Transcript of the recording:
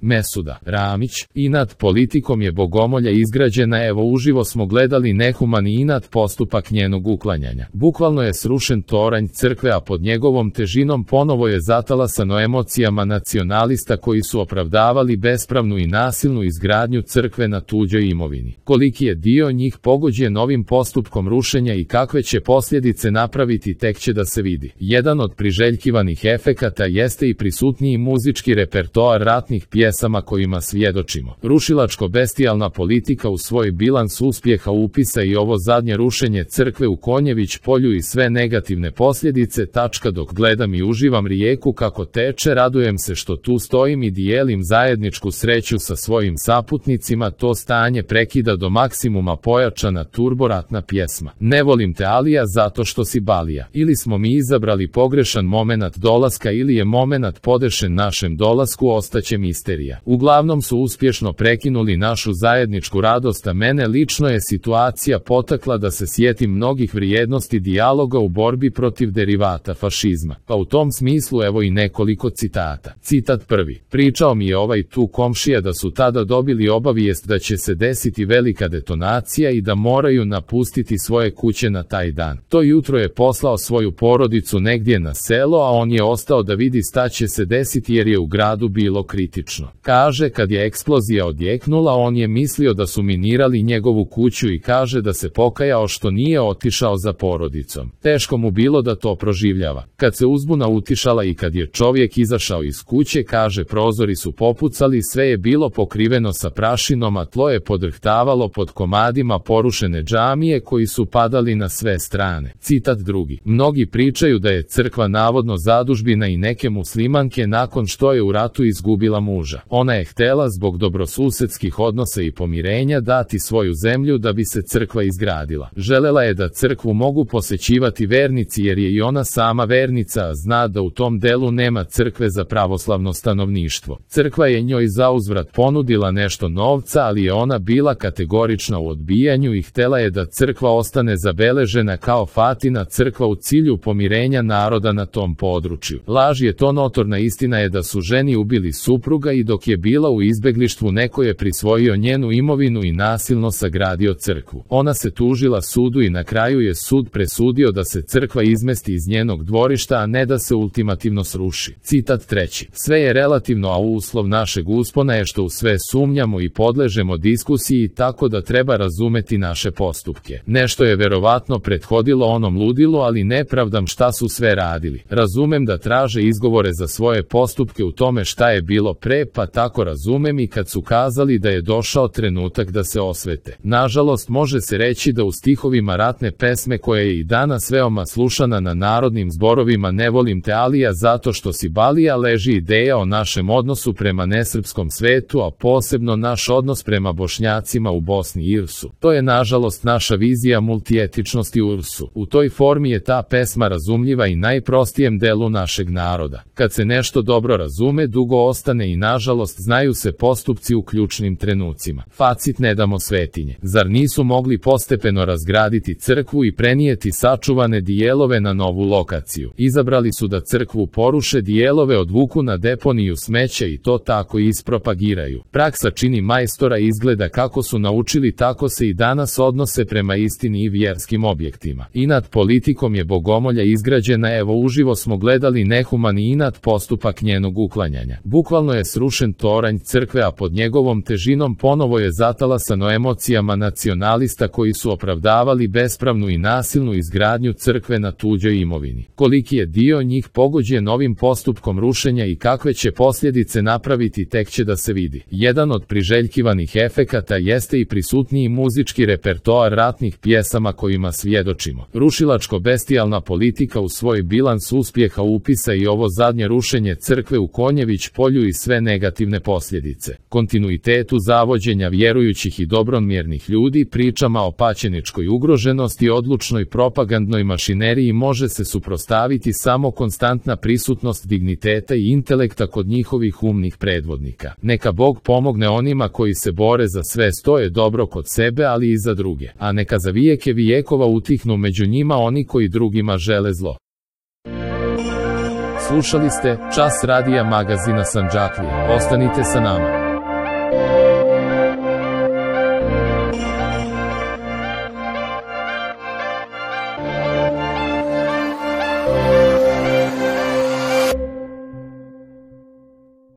Mesuda Ramić, inat politikom je bogomolja izgrađena. Evo uživo smo gledali nehumani inat postupak njenog uklanjanja. Bukvalno je srušen toranj crkve, a pod njegovom težinom ponovo je zatalasano emocijama nacionalista koji su opravdavali bespravnu i nasilnu izgradnju crkve na tuđoj imovini. Koliki je dio njih pogođen ovim postupkom rušenja i kakve će posljedice napraviti, tek će da se vidi. Jedan od priželjkivanih efekata jeste i prisutniji muzički repertoar ratnih pjesama kojima svjedočimo. Rušilačko-bestijalna politika u svoj bilans uspjeha upisa i ovo zadnje rušenje crkve u Konjević polju i sve negativne posljedice. Dok gledam i uživam rijeku kako teče, radujem se što tu stojim i dijelim zajedničku sreću sa svojim saputnicima. To stanje prekida do maksimuma pojačana turboratna pjesma. Ne volim te Alija zato što si Balija. Ili smo mi izabrali pogrešan momenat dolaska ili je momenat podešen našem dolasku, ostaće misterija. Uglavnom su uspješno prekinuli našu zajedničku radost, a mene lično je situacija potakla da se sjetim mnogih vrijednosti dijaloga u borbi protiv derivata fašizma. Pa u tom smislu evo i nekoliko citata. Citat prvi. Pričao mi je ovaj tu komšija da su tada dobili obavijest da će se desiti velika detonacija i da moraju napustiti svoje kuće na taj dan. To jutro je poslao svoju porodicu negdje na selo, a on je ostao da vidi šta će se desiti jer je u gradu bilo kritično. Kaže, kad je eksplozija odjeknula, on je mislio da su minirali njegovu kuću i kaže da se pokajao što nije otišao za porodicom. Teško mu bilo da to proživljava. Kad se uzbuna utišala i kad je čovjek izašao iz kuće, kaže, prozori su popucali, sve je bilo pokriveno sa prašinom, a tlo je podrhtavalo pod komadima porušene džamije koji su padali na sve strane. Citat drugi. Mnogi pričaju da je crkva navodno zadužbina i neke muslimanke nakon što je u ratu izgubila muža. Ona je htjela zbog dobrosusedskih odnosa i pomirenja dati svoju zemlju da bi se crkva izgradila. Želela je da crkvu mogu posećivati vernici jer je i ona sama vernica, a zna da u tom delu nema crkve za pravoslavno stanovništvo. Crkva je njoj zauzvrat ponudila nešto novca, ali je ona bila kategorična u odbijanju i htjela je da crkva ostane zabeležena kao Fatina crkva u cilju pomirenja naroda na tom području. Laž je to, notorna istina je da su ženi ubili supruga i dok je bila u izbeglištvu neko je prisvojio njenu imovinu i nasilno sagradio crkvu. Ona se tužila sudu i na kraju je sud presudio da se crkva izmesti iz njenog dvorišta, a ne da se ultimativno sruši. Citat treći. Sve je relativno, a uslov našeg uspona je što u sve sumnjamo i podležemo diskusiji, tako da treba razumeti naše postupke. Nešto je verovatno prethodilo onom ludilu, ali ne pravdam šta su sve radili. Razumem da traže izgovore za svoje postupke u tome šta je bilo pre, pa tako razumem i kad su kazali da je došao trenutak da se osvete. Nažalost, može se reći da u stihovima ratne pesme koja je i danas veoma slušana na narodnim zborovima Ne volim te Alija zato što si Balija leži ideja o našem odnosu prema nesrpskom svetu, a posebno naš odnos prema Bošnjacima u Bosni i Irsu. To je nažalost naša vizija multietičnosti u Irsu. U toj formi je ta pesma razumljiva i najprostijem delu našeg naroda. Kad se nešto dobro razume, dugo ostane i nažalost znaju se postupci u ključnim trenucima. Facit, ne damo svetinje. Zar nisu mogli postepeno razgraditi crkvu i prenijeti sačuvane dijelove na novu lokaciju? Izabrali su da crkvu poruše, dijelove odvuku na deponiju smeća i to tako ispropagiraju. Praksa čini majstora, izgleda kako su naučili, tako se i danas odnose prema istini i vjerskim objektima. Inat politikom je bogomolja izgrađena. Evo uživo smo gledali nehumani inat postupak njenog uklanjanja. Bukvalno je srušen toranj crkve, a pod njegovom težinom ponovo je zatalasano emocijama nacionalista koji su opravdavali bespravnu i nasilnu izgradnju crkve na tuđoj imovini. Koliki je dio njih pogođen ovim postupkom rušenja i kakve će posljedice napraviti, tek će da se vidi. Jedan od priželjkivanih efekata jeste i prisutniji muzički repertoar ratnih pjesama kojima svjedočimo. Rušilačko-bestijalna politika u svoj bilans uspjeha upisa i ovo zadnje rušenje crkve u Konjević polju i sve negativne posljedice. Kontinuitetu zavođenja vjerujućih i dobromjernih ljudi, pričama o paćeničkoj ugroženosti i odlučnoj propagandnoj mašineriji može se suprotstaviti samo konstantna prisutnost digniteta i intelekta kod njihovih umnih predvodnika. Neka Bog pomogne onima koji se bore za sve, stoje dobro kod sebe, ali i za druge. A neka za vijeke vijekova utihnu među njima oni koji drugima žele zlo. Slušali ste Čas radija magazina Sandžaklije. Ostanite sa nama.